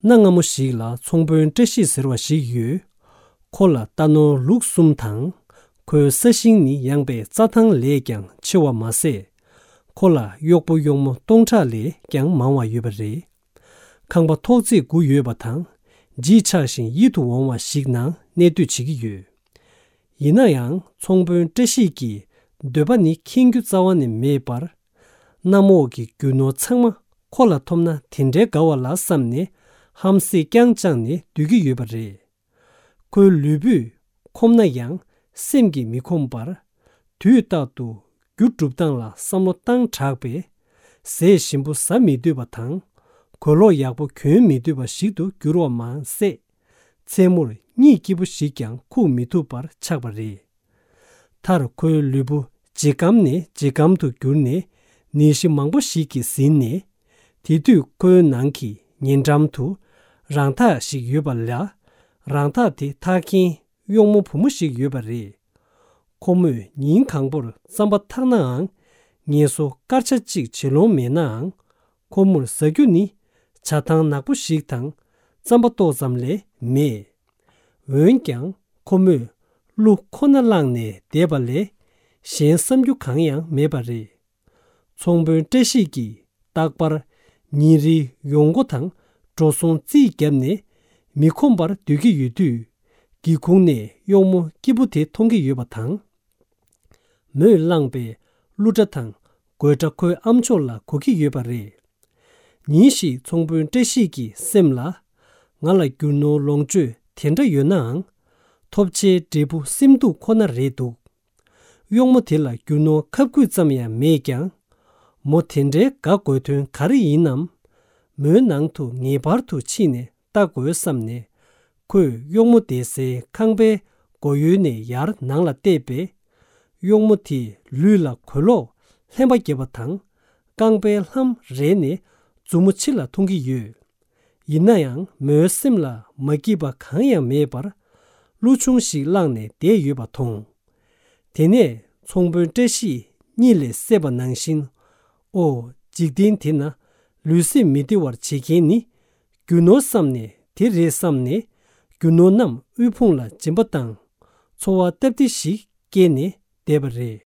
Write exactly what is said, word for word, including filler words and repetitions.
གནའ་སྔ་མོ་ཞིག་ལ་ཚོང་དཔོན་བཀྲ་ཤིས་ཟེར་བ་ཞིག་ཡོད། ཁོ་ལ་རྟ་ནོར་ལུག་གསུམ་དང་། ཁོའི་ས་ཞིང་ནི་ཡངས་པའི་རྩྭ་ཐང་ལས་ཀྱང་ཆེ་བ་མ་ཟད། ཁོ་ལ་གཡོག་པོ་གཡོག་མོ་སྟོང་ཕྲག་ལས་ཀྱང་མང་བ་ཡོད་པ་རེད། ཁང་པ་ཐོག་བརྩེགས་དགུ་ཡོད་པ་དང་། བརྗིད་ཆགས་ཤིང་ཡིད་དུ་འོང་བ་ཞིག་ནང་གནས་སྡོད་བྱེད་ཀྱི་ཡོད། ཡིན་ན་ཡང་ཚོང་དཔོན་བཀྲ་ཤིས་ཀྱི་འདོད་པ་ནི་ཁེངས་རྒྱུ་རྩ་བ་ནས་མེད་པར། གནམ་འོག་གི་རྒྱུ་ནོར་ཚང་མ་ཁོ་ལ་ཐོབ་ན་དེ་འདྲའི་དགའ་བ་ལ་བསམ་ནས། ཧམ་སེ་རྐྱང་བཅངས་ནས་སྡོད་ཀྱི་ཡོད་པ་རེད། ཁོའི་ལུས་པོས་ཁོམ་ན་ཡང་སེམས་ཀྱིས་མི་ཁོམ་པར། དུས་རྟག་ཏུ་རྒྱུ་སྒྲུབ་སྟངས་ལ་བསམ་བློ་བཏང་དྲགས་པས། ཟས་ཞིམ་པོ་ཟ་མི་འདོད་པ་དང་། གོས་ལོག་ཡག་པོ་གྱོན་མི་འདོད་པ་ཞིག་ཏུ་གྱུར་བ་མ་ཟད། མཚན་མོར་གཉིད་སྐྱིད་པོ་ཞིག་ཀྱང་ཁུག་མི་ཐུབ་པར་ཆགས་པ་རེད། མཐར་ཁོའི་ལུས་པོ་ཇེ་སྐམ་ནས་ཇེ་སྐམ་དུ་གྱུར་ནས། ནད་གཞི་མང་པོ་ཞིག་གིས་ཟིན་ནས། དེ་དུས་ཁོའི་ནང་གི་ཉེ་འགྲམ་དུ་རང་འཐག་ཞིག་ཡོད་པ་ལ། རང་འཐག་དེ་འཐག་མཁན་གཡོག་མོ་བུ་མོ་ཞིག་ཡོད་པ་རེད། ཁོ་མོས་ཉིན་གང་པོར་རྩམ་པ་འཐག་ནའང་། ངལ་གསོ་སྐར་ཆ་གཅིག་བྱེད་ལོང་མེད་ནའང་། ཁོ་མོར་ཟ་རྒྱུ་ནི་ཇ་ཐང་ནག་པོ་ཞིག་དང་རྩམ་པ་ཏོག་ཙམ་ལས་མེད། འོན་ཀྱང་ཁོ་མོས་གླུ་ཁོ་ན་བླངས་ནས་བསྡད་པ་ལས་གཞན་བསམ་རྒྱུ་གང་ཡང་མེད་པ་རེད། ཚོང་དཔོན་བཀྲ་ཤིས་ཀྱིས་རྟག་པར་ཉིན་རེའི་ཡོང་སྒོ་དང་འགྲོ་སོང་རྩིས་བརྒྱབ་ནས་མི་ཁོམ་པར་སྡོད་ཀྱི་ཡོད་དུས། སྒེའུ་ཁུང་ནས་གཡོག་མོ་སྐྱིད་པོ་དེ་མཐོང་གི་ཡོད་པ་དང་། མོས་བླངས་པའི་གླུ་སྒྲ་དང་དགོད་སྒྲ་ཁོའི་ཨ་མཆོག་ལ་གོ་གི་ཡོད་པ་རེད། ཉིན་ཞིག་ཚོང་དཔོན་བཀྲ་ཤིས་ཀྱི་སེམས་ལ། ང་ལ་རྒྱུ་ནོར་ལོངས་སྤྱོད་དེ་འདྲ་ཡོད་ནའང་། ཐོབ་ཆའི་འབྲས་བུ་སེམས་སྡུག་ཁོ་ན་རེད་འདུག་གཡོག་མོ་དེ་ལ་རྒྱུ་ནོར་ཁབ་སྐུད་ཙམ་ཡང་མེད་ཀྱང་། མོ་དེ་འདྲའི་དགའ་དགོས་དོན་ག་རེ་ཡིན་ནམ། མོའི་ནང་དུ་ངེས་པར་དུ་ཕྱིན་ནས་ལྟ་དགོས་བསམ་ནས། ཁོས་གཡོག་མོ་བསྡད་སའི་ཁང་པའི་སྒོ་ཡོལ་ནས་ཡར་ནང་ལ་བལྟས་པས། གཡོག་མོ་དེས་ལུས་ལ་གོས་ལོག་ལྷན་པ་བརྒྱབ་པ་དང་། རྐང་པའི་ལྷམ་རལ་ནས་མཛུབ་མོ་ཕྱི་ལ་མཐོང་གི་ཡོད། ཡིན་ན་ཡང་མོའི་སེམས་ལ་མ་སྐྱིད་པ་གང་ཡང་མེད་པར། གླུ་ཆུང་ཞིག་བླངས་ནས་བསྡད་ཡོད་པ་མཐོང་། དེ་ནས་ཚོང་དཔོན་བཀྲ་ཤིས་གཉིད་ལས་སད་པ་ནང་བཞིན། ཨོ། འཇིག་རྟེན་འདི་ན་ལུས་སེམས་མི་བདེ་བར་བྱེད་མཁན་ནི། རྒྱུ་ནོར་བསམ་ནས་དེ་རེད་བསམ་ནས། རྒྱུ་ནོར་རྣམས་དབུལ་ཕོངས་ལ་སྦྱིན་པ་བཏང་། འཚོ་བ་སྟབས་བདེ་ཞིག་སྐྱེལ་ནས་བསྡད་པ་རེད།